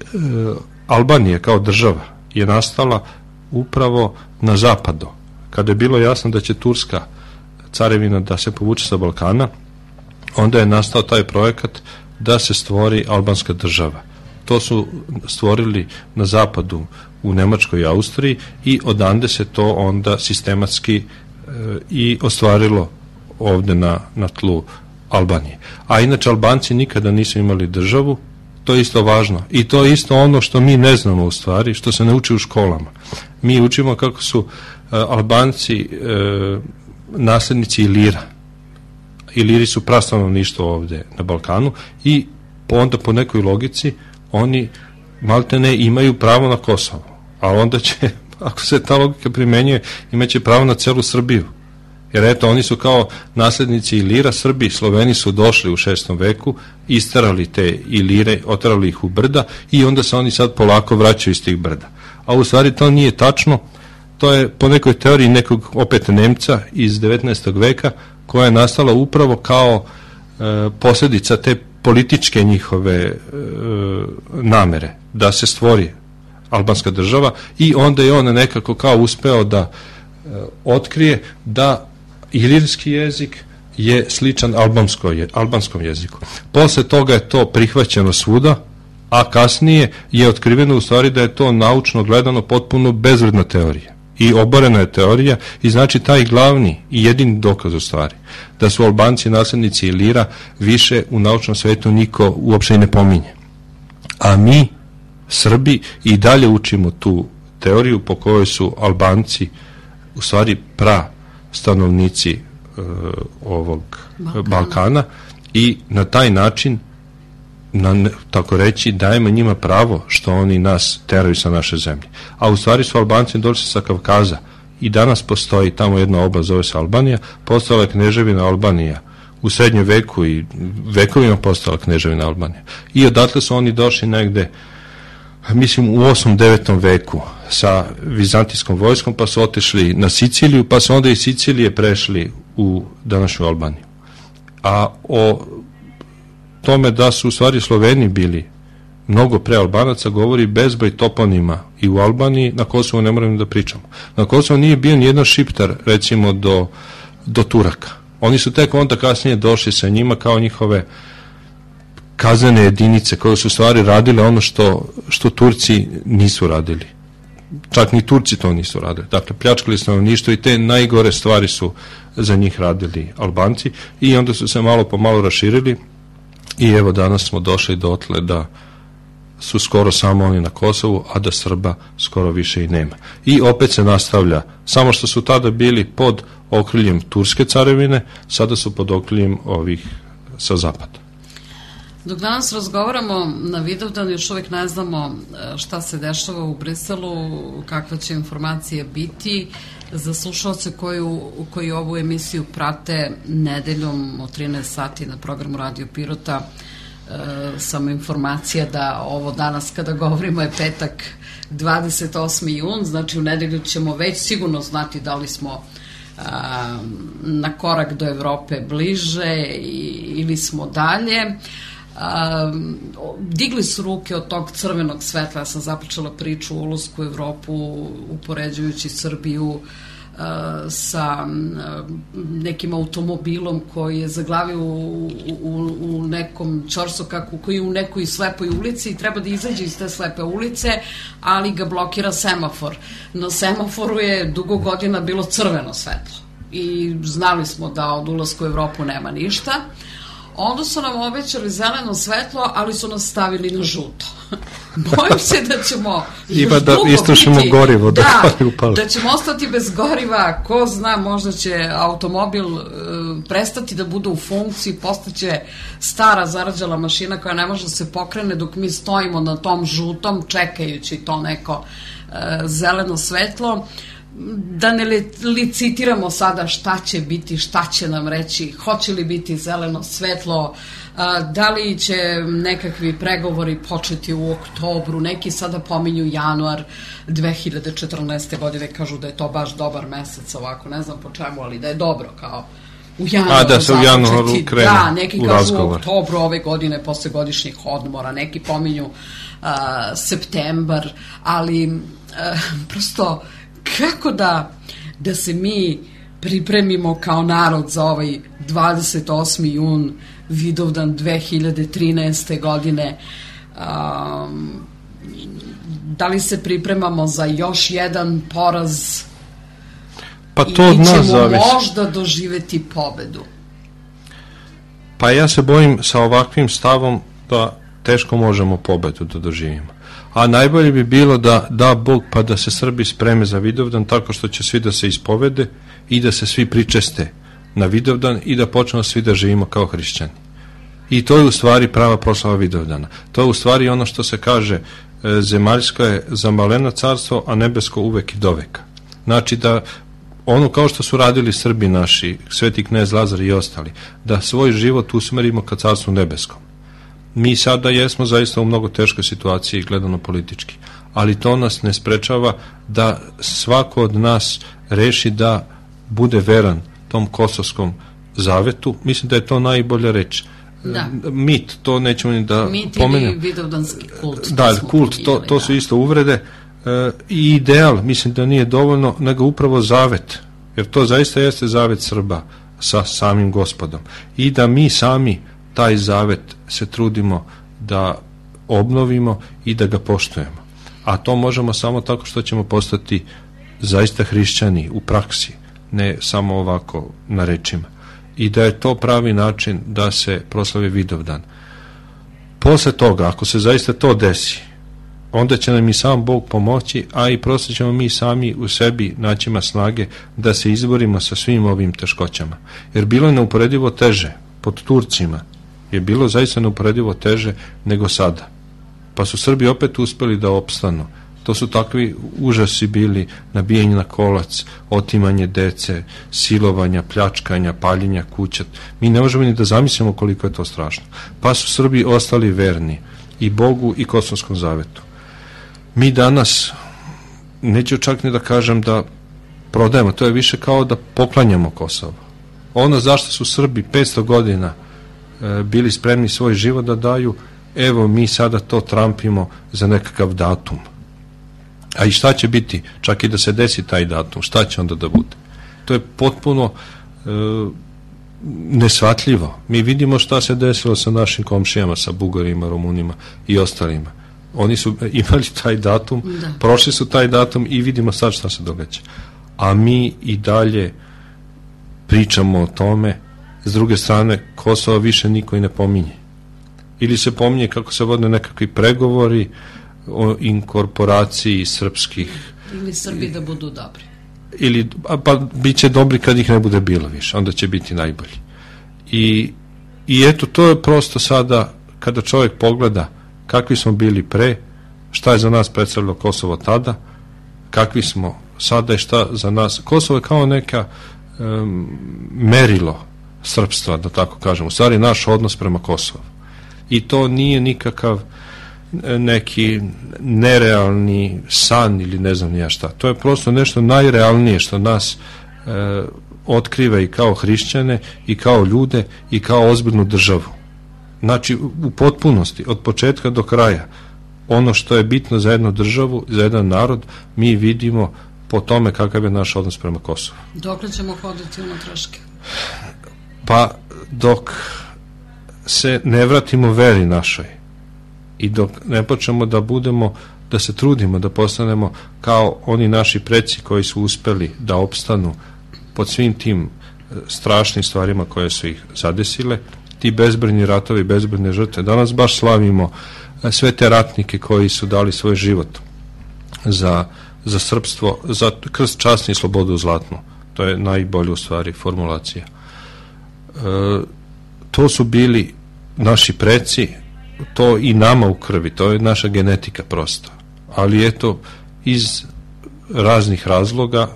Albanija kao država je nastala upravo na zapadu. Kada je bilo jasno da će Turska carevina da se povuče sa Balkana, onda je nastao taj projekat da se stvori albanska država. To su stvorili na zapadu u Nemačkoj i Austriji i odande se to onda sistematski i ostvarilo ovde na tlu Albanije. A inače Albanci nikada nisu imali državu, to je isto važno. I to je isto ono što mi ne znamo u stvari, što se ne uči u školama. Mi učimo kako su Albanci naslednici Ilira. Iliri su prastanovništvo ovde na Balkanu i onda po nekoj logici oni maltene imaju pravo na Kosovo. A onda će, ako se ta logika primenjuje, imaće pravo na celu Srbiju. Jer eto, oni su kao naslednici Ilira, Srbi, Sloveni su došli u 6. veku, isterali te Ilire, oterali ih u brda i onda se oni sad polako vraćaju iz tih brda. A u stvari to nije tačno, to je po nekoj teoriji nekog opet Nemca iz 19. veka koja je nastala upravo kao posljedica te političke njihove namere da se stvori albanska država i onda je on nekako kao uspeo da otkrije da ilirski jezik je sličan albanskom jeziku. Posle toga je to prihvaćeno svuda, a kasnije je otkriveno u stvari da je to naučno gledano potpuno bezvredna teorija i oborena je teorija i znači taj glavni i jedini dokaz u stvari da su Albanci naslednici Ilira više u naučnom svetu niko uopšte i ne pominje. A mi, Srbi, i dalje učimo tu teoriju po kojoj su Albanci u stvari stanovnici ovog Balkana i na taj način, tako reći, dajemo njima pravo što oni nas teraju sa naše zemlje. A u stvari su Albanci došli sa Kavkaza i danas postoji tamo jedna oblast, zove se Albanija, postala je kneževina Albanija u srednjem veku i vekovima postala kneževina Albanija. I odatle su oni došli negde, mislim, u 8. 9. veku sa vizantijskom vojskom, pa su otišli na Siciliju, pa su onda iz Sicilije prešli u današnju Albaniju. A o tome da su u stvari Sloveni bili mnogo pre Albanaca govori bezbroj toponima i u Albaniji, na Kosovu ne moramo da pričamo. Na Kosovu nije bio nijedan Šiptar, recimo, do Turaka. Oni su tek onda kasnije došli sa njima kao njihove kaznene jedinice koje su u stvari radile ono što Turci nisu radili. Čak ni Turci to nisu radili. Dakle, pljačkali stanovništvo i te najgore stvari su za njih radili Albanci i onda su se malo po malo raširili i evo danas smo došli dotle da su skoro samo oni na Kosovu, a da Srba skoro više i nema. I opet se nastavlja, samo što su tada bili pod okriljem Turske carevine, sada su pod okriljem ovih sa zapada. Dok danas razgovaramo na Vidovdan, još uvek ne znamo šta se dešava u Briselu, kakve će informacije biti. Za slušalce koji ovu emisiju prate nedeljom od 13 sati na programu Radio Pirota, samo informacija da ovo danas kada govorimo je petak 28. jun, znači u nedelju ćemo već sigurno znati da li smo na korak do Evrope bliže ili smo dalje. Digli su ruke od tog crvenog svetla. Ja sam započela priču o ulasku u Evropu upoređujući Srbiju sa nekim automobilom koji je zaglavio u nekom ćorsokaku koji je u nekoj slepoj ulici i treba da izađe iz te slepe ulice, ali ga blokira semafor. Na semaforu je dugo godina bilo crveno svetlo i znali smo da od ulaska u Evropu nema ništa. Onda su nam obećali zeleno svetlo, ali su nas stavili na žuto. Bojim se da ćemo još dugo biti, gorivo, da ćemo ostati bez goriva. Ko zna, možda će automobil prestati da bude u funkciji, postaće stara zarađala mašina koja ne može da se pokrene dok mi stojimo na tom žutom čekajući to neko zeleno svetlo. Da ne licitiramo sada šta će biti, šta će nam reći, hoće li biti zeleno svetlo, da li će nekakvi pregovori početi u oktobru, neki sada pominju januar 2014. godine, kažu da je to baš dobar mesec ovako, ne znam po čemu, ali da je dobro kao u januaru. Da se u januaru krene da, neki kažu u oktobru ove godine posle godišnjih odmora, neki pominju septembar, ali prosto kako da se mi pripremimo kao narod za ovaj 28. jun, Vidovdan 2013. godine? Da li se pripremamo za još jedan poraz pa to od nas zavisi. Ili ćemo možda doživeti pobedu? Pa ja se bojim sa ovakvim stavom da teško možemo pobedu da doživimo. A najbolje bi bilo da Bog pa da se Srbi spreme za Vidovdan tako što će svi da se ispovede i da se svi pričeste na Vidovdan i da počnemo svi da živimo kao hrišćani. I to je u stvari prava proslava Vidovdana. To je u stvari ono što se kaže zemaljsko je zamaleno carstvo, a nebesko uvek i doveka. Znači da ono kao što su radili Srbi naši, Sveti knez Lazar i ostali, da svoj život usmerimo ka carstvu nebeskom. Mi sada jesmo zaista u mnogo teškoj situaciji gledano politički, ali to nas ne sprečava da svako od nas reši da bude veran tom kosovskom zavetu. Mislim da je to najbolja reč. Da. Mit, to nećemo ni da pomenemo. Mit ili vidovdanski kult. Da, kult, to su isto uvrede. I ideal, mislim da nije dovoljno, nego upravo zavet, jer to zaista jeste zavet Srba sa samim Gospodom. I da mi sami taj zavet se trudimo da obnovimo i da ga poštujemo. A to možemo samo tako što ćemo postati zaista hrišćani u praksi, ne samo ovako na rečima. I da je to pravi način da se proslavi Vidovdan. Posle toga, ako se zaista to desi, onda će nam i sam Bog pomoći, a i prosto ćemo mi sami u sebi naćima snage da se izborimo sa svim ovim teškoćama. Jer bilo je neuporedivo teže pod Turcima, je bilo zaista neuporedivo teže nego sada. Pa su Srbi opet uspeli da opstanu. To su takvi užasi bili, nabijanje na kolac, otimanje dece, silovanja, pljačkanja, paljenja kuća. Mi ne možemo ni da zamislimo koliko je to strašno. Pa su Srbi ostali verni i Bogu i Kosovskom zavetu. Mi danas, neću čak ni da kažem da prodajemo, to je više kao da poklanjamo Kosovo. Ono zašto su Srbi 500 godina bili spremni svoj život da daju, evo mi sada to trampimo za nekakav datum. A i šta će biti, čak i da se desi taj datum, šta će onda da bude? To je potpuno nesvatljivo. Mi vidimo šta se desilo sa našim komšijama, sa Bugarima, Rumunima i ostalima. Oni su imali taj datum, prošli su taj datum i vidimo sad šta se događa. A mi i dalje pričamo o tome. S druge strane, Kosovo više niko i ne pominje. Ili se pominje kako se vode nekakvi pregovori o inkorporaciji srpskih. Ili Srbi da budu dobri. Ili, pa bit će dobri kad ih ne bude bilo više, onda će biti najbolji. I eto, to je prosto sada, kada čovjek pogleda kakvi smo bili pre, šta je za nas predstavljalo Kosovo tada, kakvi smo sada i šta za nas. Kosovo je kao neka merilo srpstva, da tako kažem, u stvari naš odnos prema Kosovu. I to nije nikakav neki nerealni san ili ne znam ja šta. To je prosto nešto najrealnije što nas otkriva i kao hrišćane i kao ljude i kao ozbiljnu državu. Znači u potpunosti, od početka do kraja, ono što je bitno za jednu državu, za jedan narod, mi vidimo po tome kakav je naš odnos prema Kosovu. Dokle ćemo hoditi unutraške? Pa dok se ne vratimo veri našoj i dok ne počnemo da se trudimo da postanemo kao oni naši preci koji su uspeli da opstanu pod svim tim strašnim stvarima koje su ih zadesile, ti bezbrojni ratovi, bezbrojne žrtve. Danas baš slavimo sve te ratnike koji su dali svoj život za srpstvo, za krst, čast i slobodu zlatnu. To je najbolja u stvari formulacija. To su bili naši preci, to i nama u krvi, to je naša genetika prosto. Ali eto, iz raznih razloga,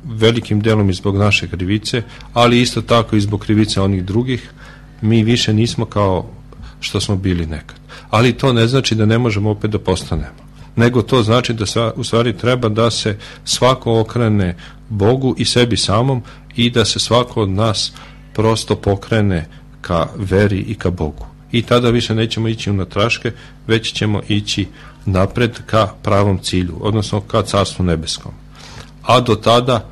velikim delom i zbog naše krivice, ali isto tako i zbog krivice onih drugih, mi više nismo kao što smo bili nekad. Ali to ne znači da ne možemo opet da postanemo, nego to znači da u stvari treba da se svako okrene Bogu i sebi samom i da se svako od nas prosto pokrene ka veri i ka Bogu. I tada više nećemo ići unatraške, već ćemo ići napred ka pravom cilju, odnosno ka Carstvu nebeskom. A do tada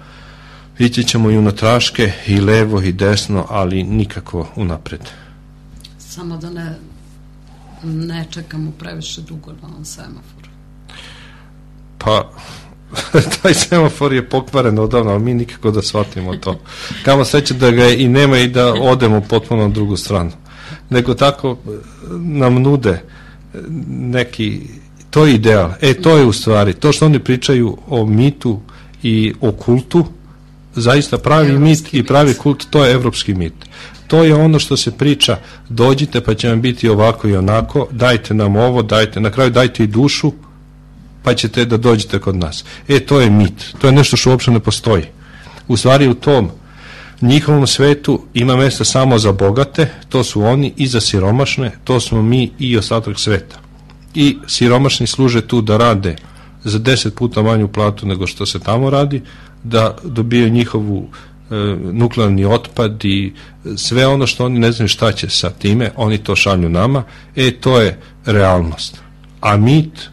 ići ćemo i unatraške, i levo i desno, ali nikako unapred. Samo da ne čekamo previše dugo na ovom semaforu. Pa, taj semafor je pokvaren odavno, ali mi nikako da shvatimo to. Kamo sreće da ga i nema i da odemo potpuno na drugu stranu. Nego tako nam nude neki, to je ideal. To je u stvari, to što oni pričaju o mitu i o kultu, zaista pravi mit i pravi kult, to je evropski mit. To je ono što se priča, dođite pa će vam biti ovako i onako, dajte nam ovo, na kraju dajte i dušu, pa ćete da dođete kod nas. To je mit, to je nešto što uopšte ne postoji. U stvari u tom njihovom svetu ima mesta samo za bogate, to su oni, i za siromašne, to smo mi i ostatak sveta. I siromašni služe tu da rade za 10 puta manju platu nego što se tamo radi, da dobijaju njihovu nuklearni otpad i sve ono što oni ne znaju šta će sa time, oni to šalju nama. To je realnost. A mit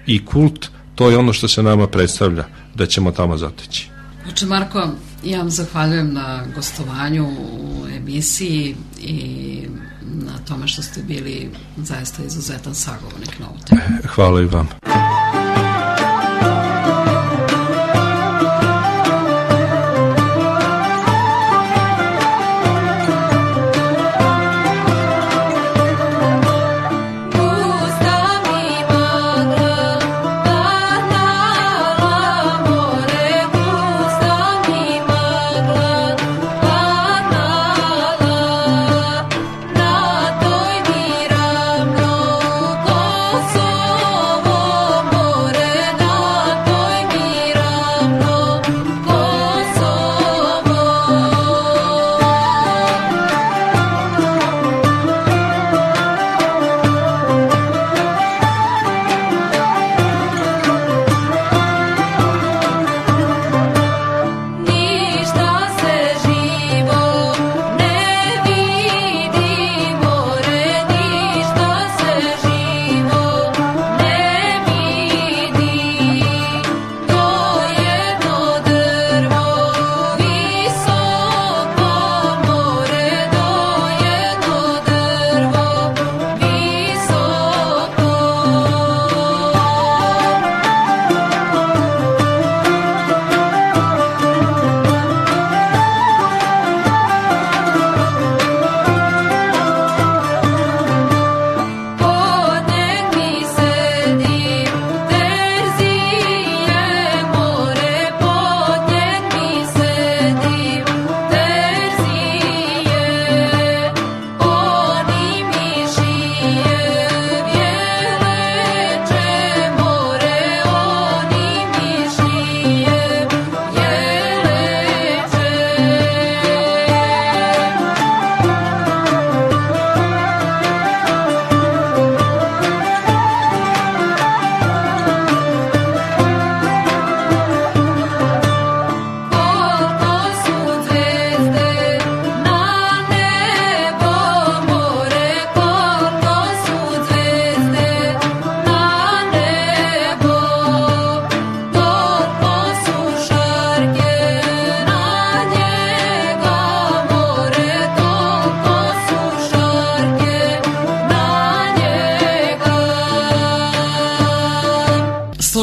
i kult, to je ono što se nama predstavlja da ćemo tamo zateći. Oče Marko, ja vam zahvaljujem na gostovanju u emisiji i na tome što ste bili zaista izuzetan sagovornik na ovu temu. Hvala i vam. Kosovo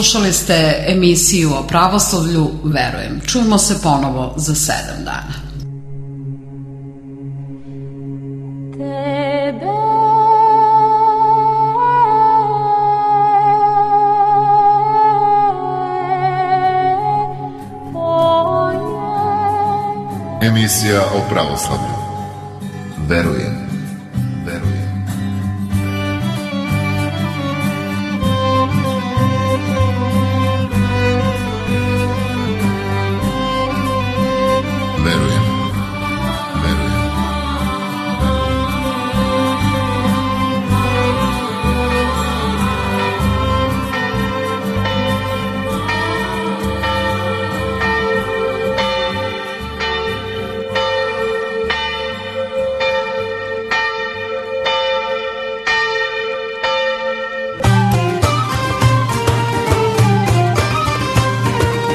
Slušali ste emisiju o pravoslavlju Verujem. Čujemo se ponovo za 7 dana. Emisija o pravoslavlju. Verujem. Verujem. Verujem. Verujem.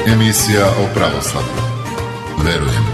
Emisija o pravoslavlju. Verujem.